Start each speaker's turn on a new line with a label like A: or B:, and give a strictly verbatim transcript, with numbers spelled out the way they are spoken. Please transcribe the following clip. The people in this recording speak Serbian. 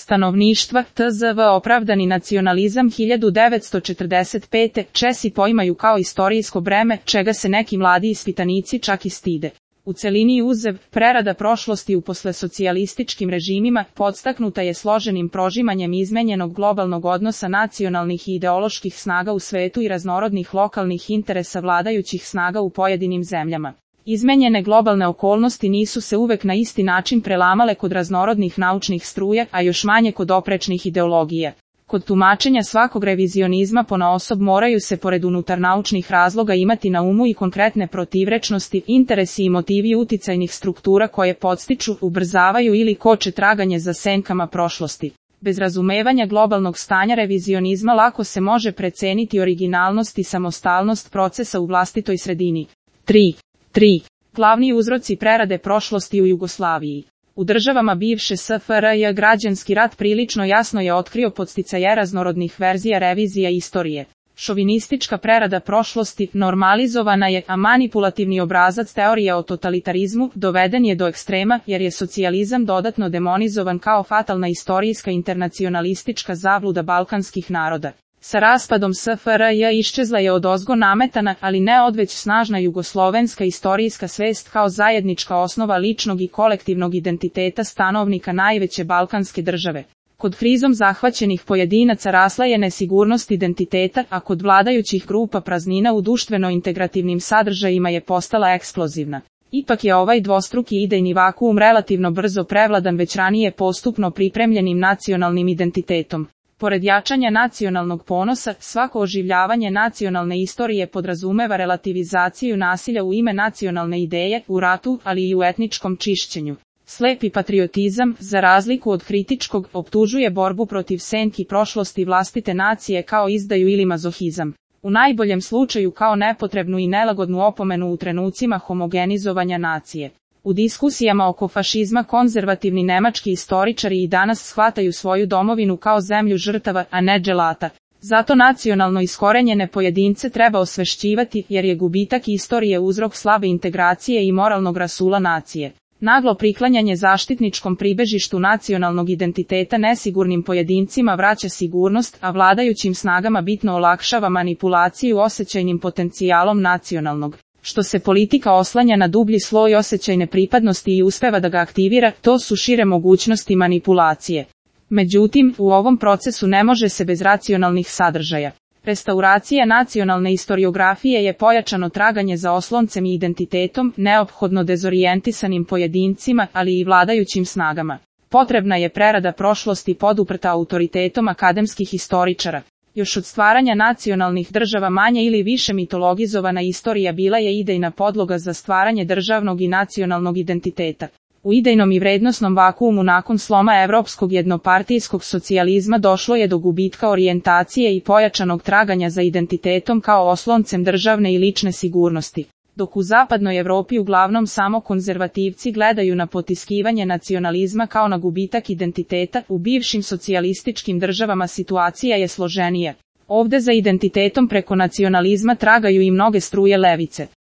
A: stanovništva, T Z V opravdani nacionalizam hiljadu devetsto četrdeset pete. Česi poimaju kao istorijsko breme, čega se neki mladi ispitanici čak i stide. U celini uzev, prerada prošlosti u poslesocijalističkim režimima, podstaknuta je složenim prožimanjem izmenjenog globalnog odnosa nacionalnih i ideoloških snaga u svetu i raznorodnih lokalnih interesa vladajućih snaga u pojedinim zemljama. Izmenjene globalne okolnosti nisu se uvek na isti način prelamale kod raznorodnih naučnih struja, a još manje kod oprečnih ideologija. Kod tumačenja svakog revizionizma ponaosob moraju se pored unutar naučnih razloga imati na umu i konkretne protivrečnosti, interesi i motivi uticajnih struktura koje podstiču, ubrzavaju ili koče traganje za senkama prošlosti. Bez razumevanja globalnog stanja revizionizma lako se može preceniti originalnost i samostalnost procesa u vlastitoj sredini. tri. tri. Glavni uzroci prerade prošlosti u Jugoslaviji. U državama bivše S F R J građanski rat prilično jasno je otkrio podsticaje raznorodnih verzija revizija istorije. Šovinistička prerada prošlosti normalizovana je, a manipulativni obrazac teorije o totalitarizmu doveden je do ekstrema, jer je socijalizam dodatno demonizovan kao fatalna istorijska internacionalistička zabluda balkanskih naroda. Sa raspadom S F R J iščezla je odozgo nametana, ali ne odveć snažna jugoslovenska istorijska svest kao zajednička osnova ličnog i kolektivnog identiteta stanovnika najveće balkanske države. Kod krizom zahvaćenih pojedinaca rasla je nesigurnost identiteta, a kod vladajućih grupa praznina u društveno-integrativnim sadržajima je postala eksplozivna. Ipak je ovaj dvostruki idejni vakuum relativno brzo prevladan već ranije postupno pripremljenim nacionalnim identitetom. Pored jačanja nacionalnog ponosa, svako oživljavanje nacionalne istorije podrazumeva relativizaciju nasilja u ime nacionalne ideje, u ratu, ali i u etničkom čišćenju. Slepi patriotizam, za razliku od kritičkog, optužuje borbu protiv senki prošlosti vlastite nacije kao izdaju ili mazohizam. U najboljem slučaju kao nepotrebnu i nelagodnu opomenu u trenucima homogenizovanja nacije. U diskusijama oko fašizma konzervativni nemački istoričari i danas shvataju svoju domovinu kao zemlju žrtava, a ne dželata. Zato nacionalno iskorenjene pojedince treba osvešćivati, jer je gubitak istorije uzrok slabe integracije i moralnog rasula nacije. Naglo priklanjanje zaštitničkom pribežištu nacionalnog identiteta nesigurnim pojedincima vraća sigurnost, a vladajućim snagama bitno olakšava manipulaciju osjećajnim potencijalom nacionalnog. Što se politika oslanja na dublji sloj osjećajne pripadnosti i uspeva da ga aktivira, to su šire mogućnosti manipulacije. Međutim, u ovom procesu ne može se bez racionalnih sadržaja. Restauracija nacionalne istoriografije je pojačano traganje za osloncem i identitetom, neophodno dezorijentisanim pojedincima, ali i vladajućim snagama. Potrebna je prerada prošlosti poduprta autoritetom akademskih istoričara. Još od stvaranja nacionalnih država manje ili više mitologizovana istorija bila je idejna podloga za stvaranje državnog i nacionalnog identiteta. U idejnom i vrednosnom vakuumu nakon sloma evropskog jednopartijskog socijalizma došlo je do gubitka orijentacije i pojačanog traganja za identitetom kao osloncem državne i lične sigurnosti. Dok u zapadnoj Evropi uglavnom samo konzervativci gledaju na potiskivanje nacionalizma kao na gubitak identiteta, u bivšim socijalističkim državama situacija je složenija. Ovde za identitetom preko nacionalizma tragaju i mnoge struje levice.